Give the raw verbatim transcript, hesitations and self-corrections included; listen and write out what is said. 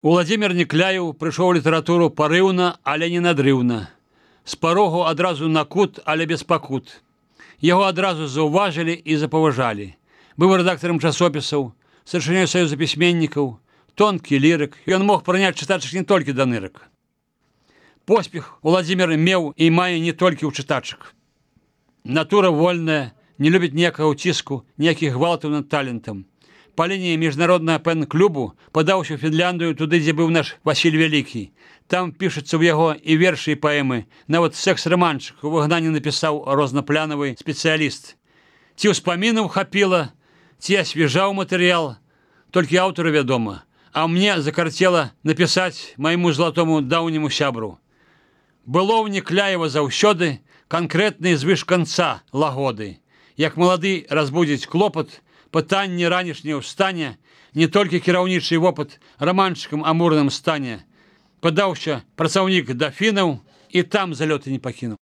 Уладзімір Некляеў прыйшоў у літаратуру парыўна, але не надрыўна. З парогу адразу на кут, але без пакут. Яго адразу заўважылі і запаважалі. Быў рэдактарам часопісаў, старшынёй саюза пісьменнікаў, тонкі лірык. Ён мог прыняць чытачак не толькі да нырак. Поспех Уладзімір меў і мае не толькі ў чытачак. Натура вольная, не любіць ніякага ўціску, ніякіх гвалтаў над талентам. Па лініі міжнароднага пэн-клубу падаўся ў Фінляндыю, туды, дзе быў наш Васіль Вялікі. Там пішацца ў яго і вершы, і паэмы. Нават секс-раманчык у выгнанні напісаў рознапланавы спецыяліст. Ці ўспамінаў хапіла, ці асвежаў матэрыял, толькі аўтару вядома. А мне закарцела напісаць майму златому даўняму сябру. Было ў Некляева заўсёды канкрэтнай звыш канца лагоды. Як малады разбудзіць клопат, пытанне ранішняе ў стане, не толькі кіраўнічы вопыт раманчыкам амурным стане. Падаўся працаўнік да фінаў і там залёты не пакінуў.